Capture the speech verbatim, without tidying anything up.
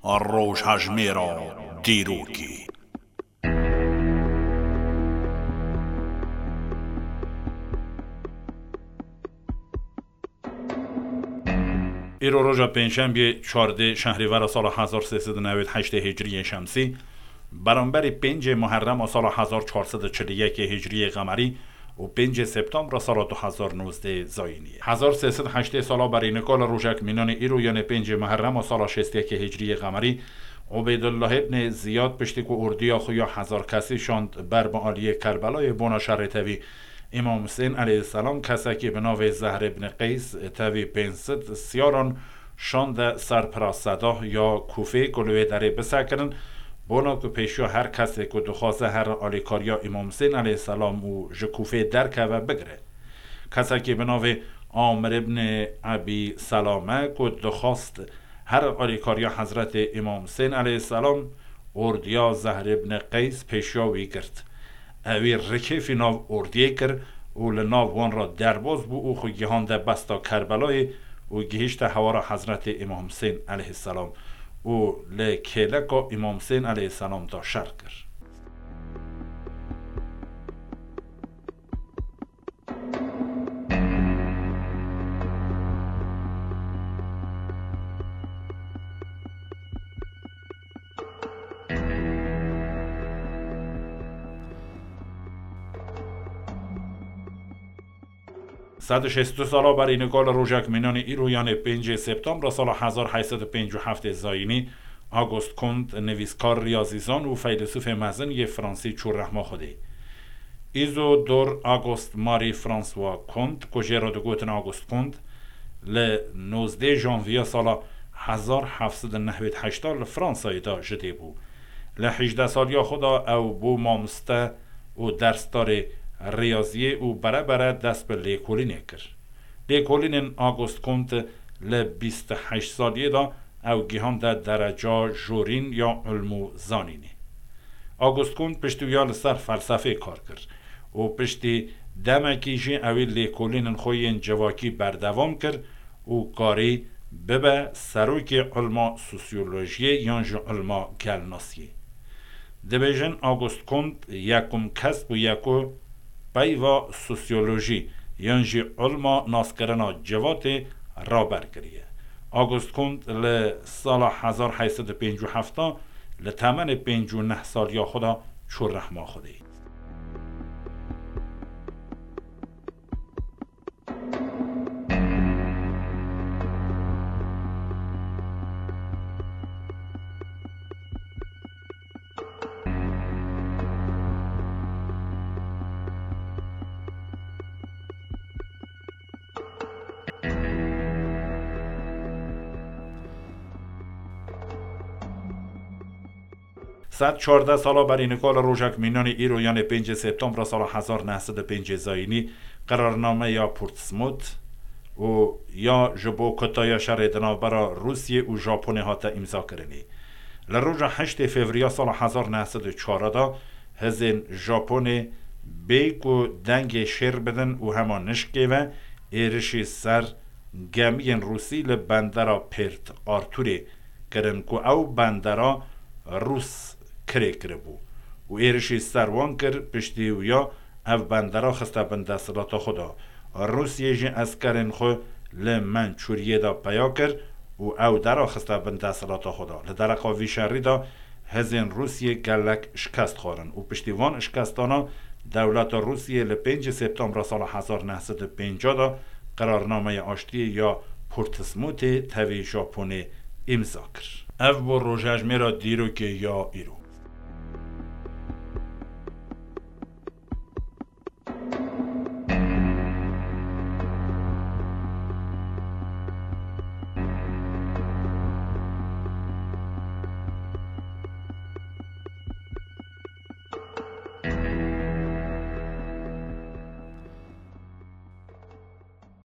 Rojhejmêra dîrokê. Îro roja pêncşembiyê, çardê şehrîvera sala hezar sê sed û newêd heştê hicriyê şemsî, beramberî pêncê Muherrema sala hezar çar sed û çil û yekê hicriyê qemerî û pêncê Septembra sala du hezar nozdeh zayînî. Hezar sê sed heştê sala berî nika li rojek mînanê îro, yanê pêncê Muherrema sala şêst û yekê hicriyê qemerî, Ubeydullah ibnê Ziyad piştî ku ordiya xwe ya hezar kesî şand ber bi aliyê Kerbelayê bona şerê tevî Îmam Husên aleyhisselam, kesekî bi navê Zehr ibn Qeys tevî pênc sed siyaran şande ser pira Sedah ya Kûfê ku li wê derê bisekirin, bona ku pêşiya her kesê ku dixwaze here alîkariya Îmam Husên aleyhisselam û ji Kûfê derkeve, bigire. Kesekî bi navê Amir ibn Ebî Selame ku dixwast here alîkariya Hezretê Îmam Husên aleyhisselam, ordiya Zehr ibn Qeys pêşiya wî girt. Ewî rikêfî nav ordiyê kir û li nav wan re derbas bû û xwe gihande besta Kerbelayê û gihişte hewara Hezretê Îmam Husên aleyhisselam û li kêleka Îmam Husên aleyhisselam de şer kir. Sed û şêst û du sala berî nika li rojek mînanê îro, yanê pêncê Septembra sala hezar heyt sed û pêncî û heftê zayînî, Auguste Comte, nivîskar, riyazîzan û feylesûfê mezin yê Fransî çû rehma Xwedê. Isidore Auguste Marie François Comte, ku jê re digotin Auguste Comte, li nozdeh Janviya sala hezar heft sed û nehwêd heşta li Fransayê de ji dê bû. Li hejdeh saliya xwe de ew bû mamoste û dersdarê riyaziyê û berebere dest bi lêkolînê kir. Lêkolînên Auguste Comte li bîst û heşt saliyê de ew gihande dereca jorîn ya ilm û zanînê. Auguste Comte piştî wiya li ser felsefê kar kir û piştî demekî jî ewî lêkolînên xwe yên civakî berdewam kir û karî bibe serokê ilma sosyolojiyê yan jî ilma gelnasiyê. Dibêjin Auguste Comte yekum kes bûye ku peyva sosyolojî yan jî ilma naskirina civatê raber kiriye. Auguste Comte li sala hezar heyt sed û pêncî û heft li temenê pêncî û neh saliya xwe de çû rehma Xwedê. Sed çardeh sala berî nika li rojek mînanê îro, yanê pêncê Septembra sala hezar neh sed û pêncê zayînî, qerarnameya Portsmouth û ya ji bo kutaya şerê di navbera Rûsiyê û Japonê hate îmzakirinê. Li roja heştê Fevriya sala hezar neh sed û çar de hizên Japonê bê ku dengê şêr bidin û hema nişkê ve êrişî ser gemiyên Rûsî li bendera Pêrt Artûrê kirin ku ew bendera Rûs kirê kiribû û êrişî ser wan kir, piştî wiya ev bendera xiste bin desthilata xwe de. Rûsiyê jî eskerên xwe li Mençûriyê de peya kir û ew dera xiste bin desthilata xwe de. Li dereqa vî şerî de hizên Rûsiyê gelek şikest xwarin û piştî van şikestana dewleta Rûsiyê li pêncê Septembra sala hezar neh sed û pêncah de qerarnameya aştiyê ya Portsmouthê tevî Japonê îmza kir. Ev bû rojhejmêra dîrokê ya îro.